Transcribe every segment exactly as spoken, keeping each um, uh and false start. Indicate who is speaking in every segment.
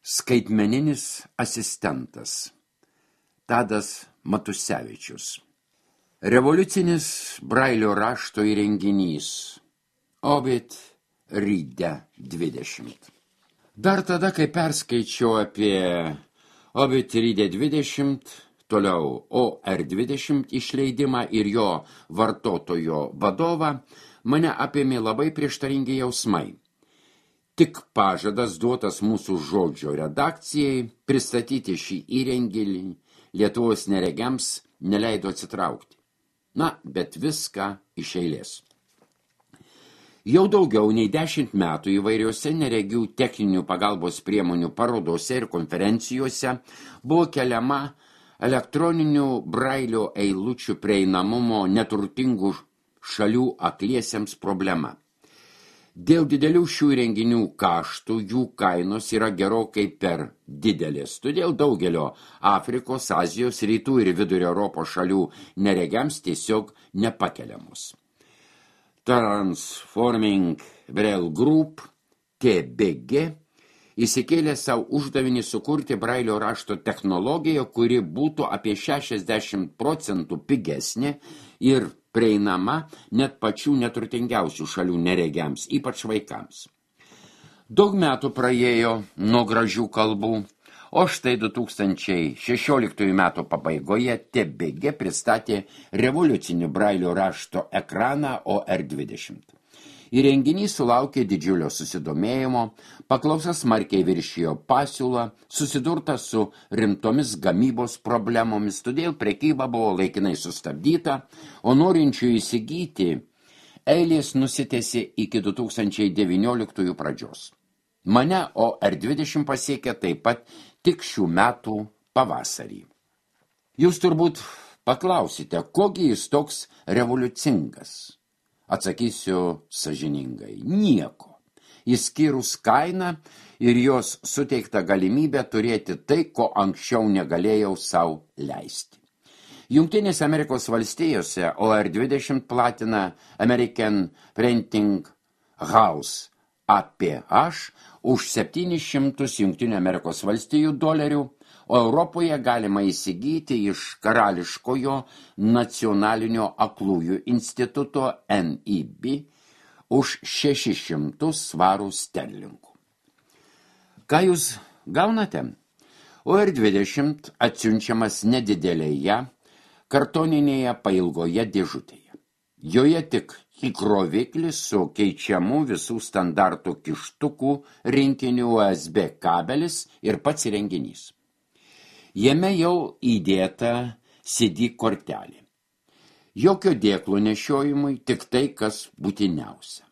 Speaker 1: Skaitmeninis asistentas Tadas Matusevičius. Revoliucinis Brailio rašto įrenginys Ovid Ride dvidešimt. Dar tada, kai perskaičiau apie Ovid Ride dvidešimt, toliau O R dvidešimt išleidimą ir jo vartotojo vadovą, mane apėmė labai prieštaringi jausmai. Tik pažadas duotas mūsų žodžio redakcijai pristatyti šį įrenginį Lietuvos neregiams neleido atsitraukti. Na, bet viską iš eilės. Jau daugiau nei dešimt metų įvairiuose neregių techninių pagalbos priemonių parodose ir konferencijose buvo keliama elektroninių Brailio eilučių prieinamumo neturtingų šalių akliesiems problema. Dėl didelių šių įrenginių kaštų jų kainos yra gerokai per didelės, todėl daugelio Afrikos, Azijos, Rytų ir Vidurio Europos šalių neregiams tiesiog nepakeliamos. Transforming Braille Group T B G įsikėlė savo uždavinį sukurti Brailio rašto technologiją, kuri būtų apie šešiasdešimt procentų pigesnė ir prieinama net pačių neturtingiausių šalių neregiams, ypač vaikams. Daug metų praėjo nuo gražių kalbų, o štai du tūkstančiai šešioliktųjų metų pabaigoje T B G pristatė revoliucinį Brailio rašto ekraną O R dvidešimt. Įrenginys sulaukė didžiulio susidomėjimo, paklausa smarkiai viršijo pasiūlą, susidurta su rimtomis gamybos problemomis, todėl prekyba buvo laikinai sustabdyta, o norinčių įsigyti eilės nusitęsė iki du tūkstančiai devynioliktųjų pradžios. Mane O R dvidešimt pasiekė taip pat tik šių metų pavasarį. Jūs turbūt paklausite, kogi jis toks revoliucingas? Atsakysiu sąžiningai, nieko, išskyrus kainą ir jos suteiktą galimybę turėti tai, ko anksčiau negalėjau sau leisti. Jungtinėse Amerikos valstijose O R dvidešimt platina American Printing House A P H už septynis šimtus Jungtinių Amerikos valstijų dolerių, o Europoje galima įsigyti iš Karališkojo nacionalinio aklųjų instituto N I B už šešis šimtus svarų sterlingų. Ką jūs gaunate? O R dvidešimt atsiunčiamas nedidelėje kartoninėje pailgoje dėžutėje. Joje tik įkroviklis su keičiamų visų standartų kištukų rinkinių U S B kabelis ir pats įrenginys. Jame jau įdėta C D kortelė. Jokio dėklo nešiojimui, tik tai, kas būtiniausia.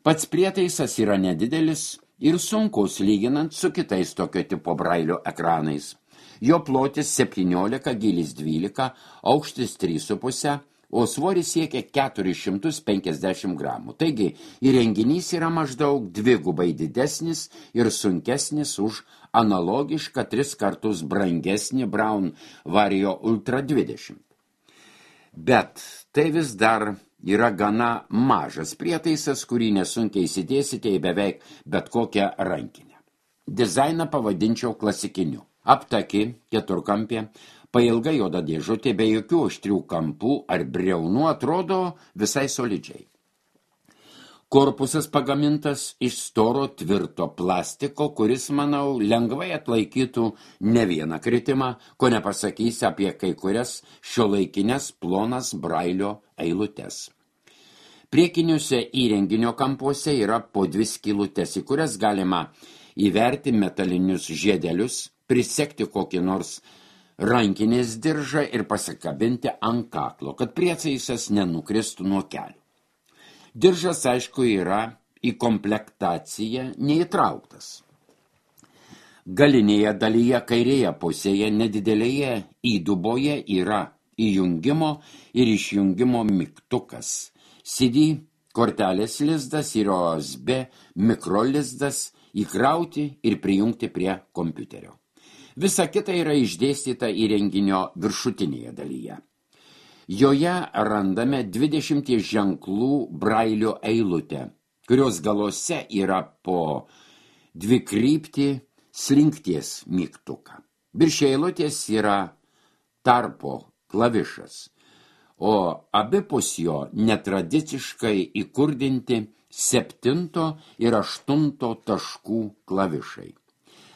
Speaker 1: Pats prietaisas yra nedidelis ir sunkus lyginant su kitais tokio tipo Brailio ekranais. Jo plotis septyniolika, gylis dvylika, aukštis trys su puse, o svoris siekia keturis šimtus penkiasdešimt gramų. Taigi, įrenginys yra maždaug dvigubai didesnis ir sunkesnis už analogišką tris kartus brangesnį Braun Vario Ultra dvidešimt. Bet tai vis dar yra gana mažas prietaisas, kurį nesunkiai įsidėsite į beveik bet kokią rankinę. Dizainą pavadinčiau klasikiniu. Aptaki, keturkampė, pailga juoda dėžutė be jokių aštrių kampų ar briaunų atrodo visai solidžiai. Korpusas pagamintas iš storo tvirto plastiko, kuris, manau, lengvai atlaikytų ne vieną kritimą, ko nepasakysi apie kai kurias šiuolaikinės plonas Brailio eilutes. Priekiniuose įrenginio kampuose yra po dvi skylutes, į kurias galima įverti metalinius žiedelius, prisekti kokį nors rankinės diržą ir pasikabinti ant kaklo, kad prietaisas nenukristų nuo kelių. Diržas, aišku, yra į komplektaciją neįtrauktas. Galinėje dalyje kairėje pusėje nedidelėje įduboje yra įjungimo ir išjungimo mygtukas, C D kortelės lizdas ir U S B mikrolizdas įkrauti ir prijungti prie kompiuterio. Visa kita yra išdėstyta įrenginio viršutinėje dalyje. Joje randame dvidešimt ženklų Brailio eilutę, kurios galuose yra po dvikryptį slinkties mygtuką. Virš eilutės yra tarpo klavišas, o abipus jo netradiciškai įkurdinti septinto ir aštunto taškų klavišai.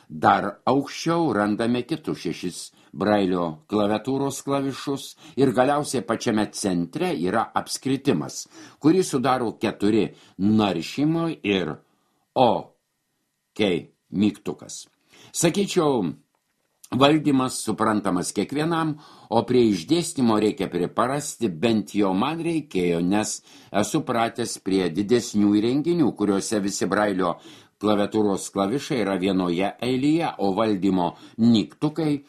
Speaker 1: Dar aukščiau randame kitus šešis Brailio klaviatūros klavišus ir galiausiai pačiame centre yra apskritimas, kurį sudaro keturi naršymo ir O, K mygtukas. Sakyčiau, valdymas suprantamas kiekvienam, o prie išdėstymo reikia priprasti, bent jau man reikėjo, nes esu pratęs prie didesnių įrenginių, kuriuose visi Brailio klaviatūros klavišai yra vienoje eilėje, o valdymo mygtukai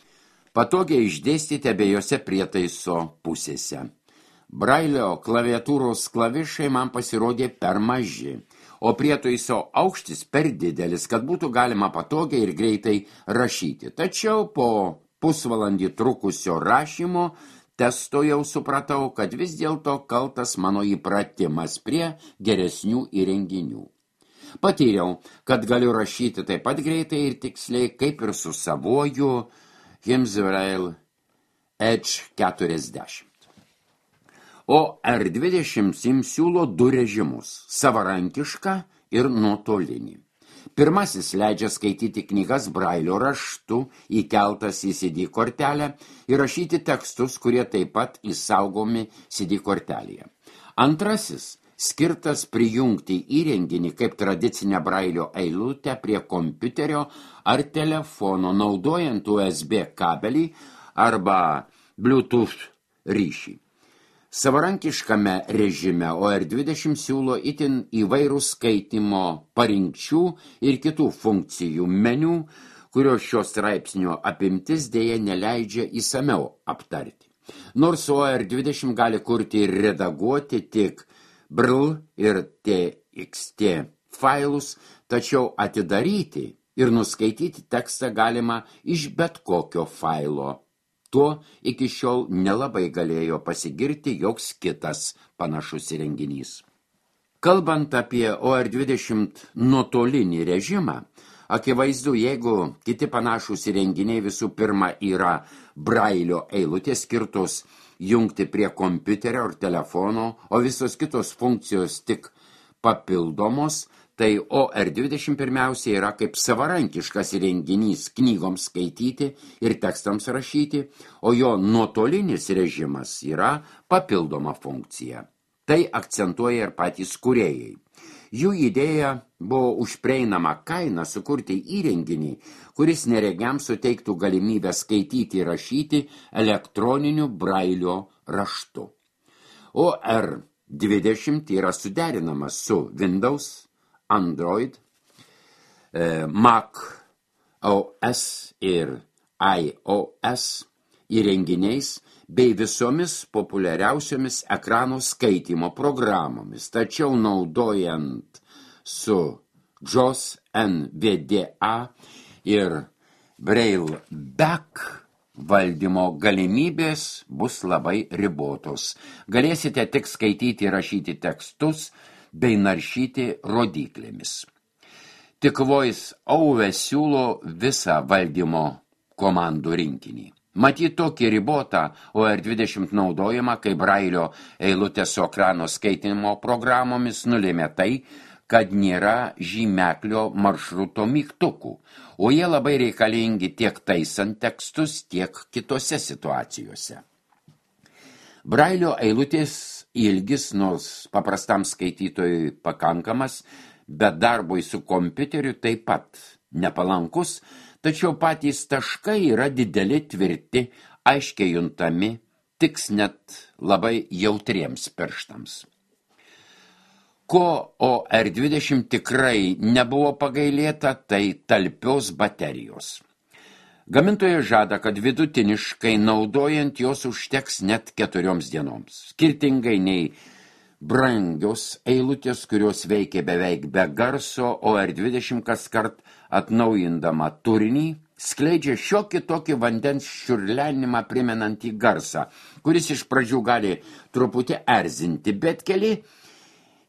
Speaker 1: patogiai išdėstyti abiejose prietaiso pusėse. Brailio klaviatūros klavišai man pasirodė per maži, o prietaiso aukštis per didelis, kad būtų galima patogiai ir greitai rašyti. Tačiau po pusvalandį trukusio rašymo testo jau supratau, kad vis dėlto kaltas mano įpratimas prie geresnių įrenginių. Patyriau, kad galiu rašyti taip pat greitai ir tiksliai, kaip ir su savuoju Himsbrail Edge keturiasdešimt. O R dvidešimt siūlo du režimus – savarankišką ir nuotolinį. Pirmasis leidžia skaityti knygas Brailio raštu, įkeltas į C D kortelę ir rašyti tekstus, kurie taip pat įsaugomi C D kortelėje. Antrasis skirtas prijungti įrenginį kaip tradicinę Brailio eilutę prie kompiuterio ar telefono, naudojant U S B kabelį arba Bluetooth ryšį. Savarankiškame režime O R dvidešimt siūlo itin įvairų skaitimo parinkčių ir kitų funkcijų meniu, kurio šios straipsnio apimtis dėja neleidžia įsamiau aptarti. Nors O R dvidešimt gali kurti ir redaguoti tik B R L ir T X T failus, tačiau atidaryti ir nuskaityti tekstą galima iš bet kokio failo. Tuo iki šiol nelabai galėjo pasigirti joks kitas panašus įrenginys. Kalbant apie O R dvidešimt nuotolinį režimą, akivaizdu, jeigu kiti panašus įrenginiai visų pirma yra Brailio eilutės skirtos jungti prie kompiuterio ar telefono, o visos kitos funkcijos tik papildomos, tai O R dvidešimt pirmiausia yra kaip savarankiškas įrenginys knygoms skaityti ir tekstams rašyti, o jo nuotolinis režimas yra papildoma funkcija. Tai akcentuoja ir patys kūrėjai. Jų idėja buvo už prieinamą kainą sukurti įrenginį, kuris neregiams suteiktų galimybę skaityti ir rašyti elektroniniu Brailio raštu. O R dvidešimt yra suderinamas su Windows, Android, Mac O S ir iOS įrenginiais bei visomis populiariausiomis ekrano skaitymo programomis, tačiau naudojant su J O S, N V D A ir Braille Back valdymo galimybės bus labai ribotos. Galėsite tik skaityti ir rašyti tekstus bei naršyti rodyklėmis. Tik VoiceOver siūlo visą valdymo komandų rinkinį. Matyt, tokį ribotą O R dvidešimt naudojimą, kaip Brailio eilutės su ekrano skaitinimo programomis nulėmė tai, kad nėra žymeklio maršruto mygtukų, o jie labai reikalingi tiek taisant tekstus, tiek kitose situacijose. Brailio eilutės ilgis, nors paprastam skaitytojui pakankamas, bet darbui su kompiuteriu taip pat nepalankus, tačiau patys taškai yra dideli, tvirti, aiškiai juntami, tiks net labai jautriems pirštams. Ko O R dvidešimt tikrai nebuvo pagailėta, tai talpios baterijos. Gamintojas žada, kad vidutiniškai naudojant jos užteks net keturioms dienoms. Skirtingai nei brangios eilutės, kurios veikia beveik be garso, O R dvidešimt kaskart atnaujindama turinį, skleidžia šiokį tokį vandens čiurlenimą primenantį garsą, kuris iš pradžių gali truputį erzinti, bet keli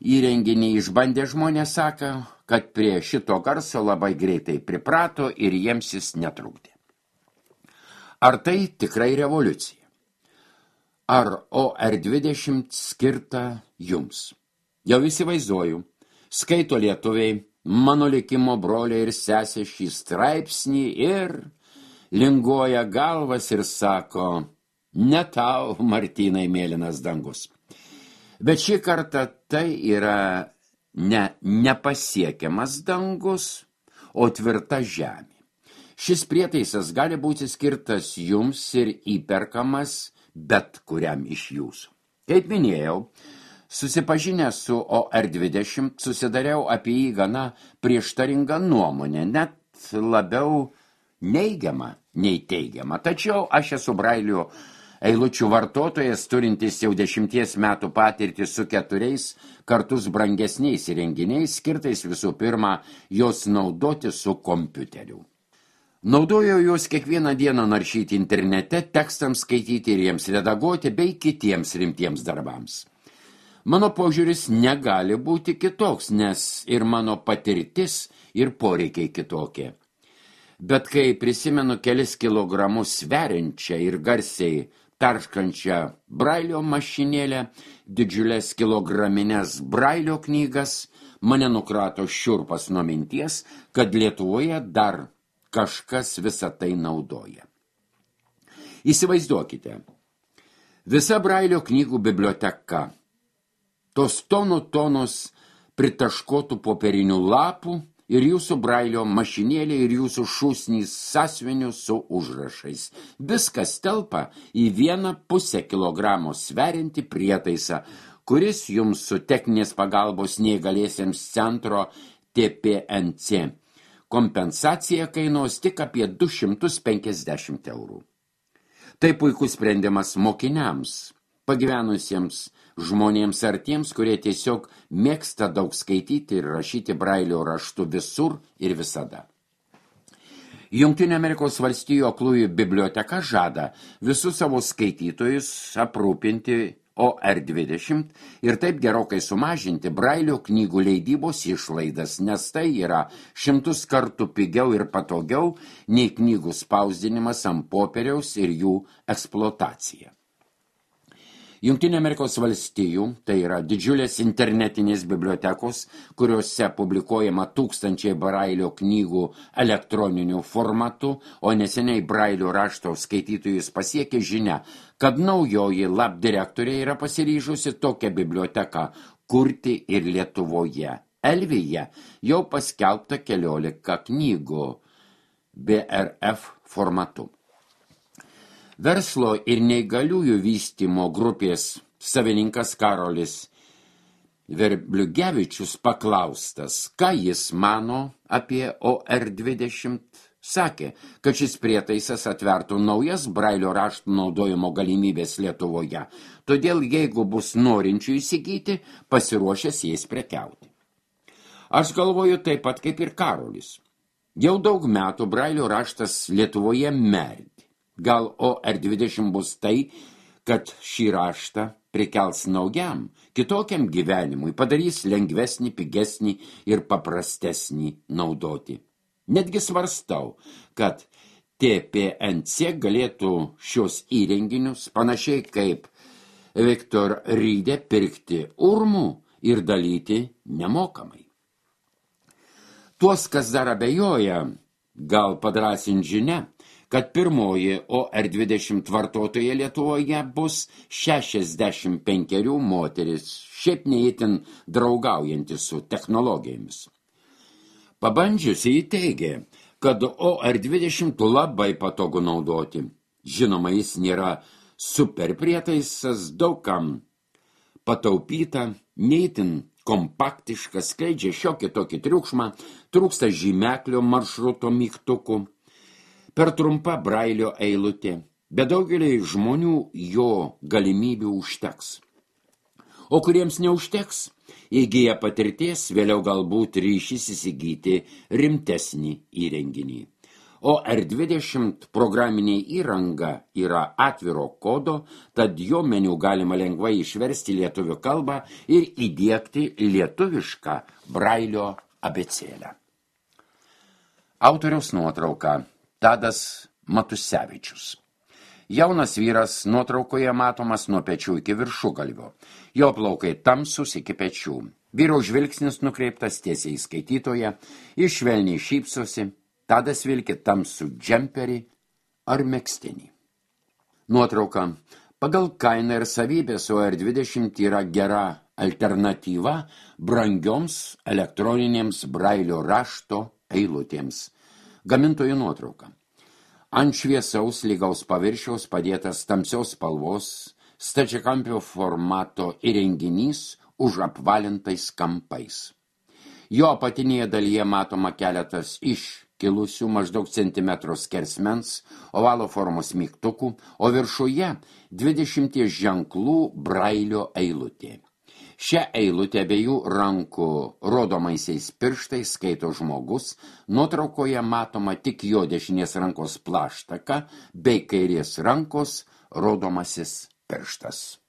Speaker 1: įrenginį išbandę žmonės sako, kad prie šito garso labai greitai priprato ir jiems jis netrukdė. Ar tai tikrai revoliucija? Ar O R dvidešimt skirta jums? Jau įsivaizduoju, skaito lietuviai, mano likimo broliai ir sesė šį straipsnį ir linguoja galvas ir sako, ne tau, Martynai, mėlynas dangus. Bet šį kartą tai yra ne nepasiekiamas dangus, o tvirta žemė. Šis prietaisas gali būti skirtas jums ir įperkamas bet kuriam iš jūsų. Kaip minėjau, susipažinęs su O R dvidešimt, susidariau apie jį gana prieštaringą nuomonę, net labiau neigiamą nei teigiamą. Tačiau aš esu Brailio eilučių vartotojas, turintis jau dešimties metų patirtį su keturiais kartus brangesniais įrenginiais, skirtais visų pirma jos naudoti su kompiuteriu. Naudojau juos kiekvieną dieną naršyti internete, tekstams skaityti ir jiems redaguoti bei kitiems rimtiems darbams. Mano požiūris negali būti kitoks, nes ir mano patirtis ir poreikiai kitokie. Bet kai prisimenu kelis kilogramus sveriančią ir garsiai tarškančią Brailio mašinėlę, didžiulės kilograminės Brailio knygas, mane nukrato šiurpas nuo minties, kad Lietuvoje dar kažkas visą tai naudoja. Įsivaizduokite, visa Brailio knygų biblioteka, tos tonų tonos pritaškotų popierinių lapų ir jūsų Brailio mašinėlė ir jūsų šūsnys sąsiuvinių su užrašais. Viskas telpa į vieną pusę kilogramo sveriantį prietaisą, kuris jums su techninės pagalbos neįgaliesiems centro T P N C kompensacija kainuos tik apie du šimtus penkiasdešimt eurų. Tai puikus sprendimas mokiniams, pagyvenusiems žmonėms ar tiems, kurie tiesiog mėgsta daug skaityti ir rašyti Brailio raštu visur ir visada. Jungtinių Amerikos valstijų aklųjų biblioteka žada visus savo skaitytojus aprūpinti O R dvidešimt ir taip gerokai sumažinti Brailio knygų leidybos išlaidas, nes tai yra šimtus kartų pigiau ir patogiau nei knygų spausdinimas ant popieriaus ir jų eksploatacija. Jungtinių Amerikos valstijų, tai yra didžiulės internetinės bibliotekos, kuriuose publikuojama tūkstančiai Brailio knygų elektroniniu formatu, o neseniai Brailio rašto skaitytojus pasiekė žinia, kad naujoji lab direktorė yra pasiryžusi tokią biblioteką kurti ir Lietuvoje. Elvyje jau paskelbta keliolika knygų B R F formatu. Verslo ir neįgaliųjų vystymo grupės savininkas Karolis Verbliugevičius paklaustas, ką jis mano apie O R dvidešimt, sakė, kad šis prietaisas atvertų naujas Brailio raštų naudojimo galimybės Lietuvoje, todėl jeigu bus norinčių įsigyti, pasiruošęs jais prekiauti. Aš galvoju taip pat kaip ir Karolis. Jau daug metų Brailio raštas Lietuvoje merdi. Gal O R dvidešimt bus tai, kad šį raštą prikels naujam, kitokiam gyvenimui, padarys lengvesnį, pigesnį ir paprastesnį naudoti. Netgi svarstau, kad T P N C galėtų šios įrenginius, panašiai kaip Viktor Rydė, pirkti urmų ir dalyti nemokamai. Tuos, kas dar abejoja, gal padrąsint žinia, kad pirmoji O R dvidešimt vartotoja Lietuvoje bus šešiasdešimt penkerių moteris, šiaip neįtin draugaujantis su technologijomis. Pabandžiusi įteigė, kad O R dvidešimt labai patogu naudoti. Žinoma, jis nėra super prietaisas, daugam pataupyta, neįtin kompaktiškas, skleidžia šiokį tokį triukšmą, trūksta žymeklio maršruto mygtukų. Per trumpa Brailio eilutė, bet daugeliai žmonių jo galimybių užteks. O kuriems neužteks, įgyja patirties, vėliau galbūt ryšys įsigyti rimtesnį įrenginį. O R dvidešimt programinė įranga yra atviro kodo, tad jo meniu galima lengvai išversti lietuvių kalbą ir įdiegti lietuvišką Brailio abėcėlę. Autoriaus nuotrauka Tadas Matusevičius. Jaunas vyras nuotraukoje matomas nuo pečių iki viršugalvio. Jo plaukai tamsus iki pečių. Vyro žvilgsnis nukreiptas tiesiai į skaitytoją, jis švelniai šypsosi, Tadas vilki tamsų džemperį ar megztinį. Nuotrauka. Pagal kainą ir savybės O R dvidešimt yra gera alternatyva brangioms elektroninėms brailio rašto eilutėms. Gamintojų nuotrauka. Ant šviesaus lygaus paviršiaus padėtas tamsios spalvos stačiakampio formato įrenginys už apvalintais kampais. Jo apatinėje dalyje matoma keletas iškilusių maždaug centimetro skersmens ovalo formos mygtukų, o viršuje dvidešimties ženklų brailio eilutė. Šią eilutę abiejų rankų rodomaisiais pirštais skaito žmogus, nuotraukoje matoma tik jo dešinės rankos plaštaka bei kairės rankos rodomasis pirštas.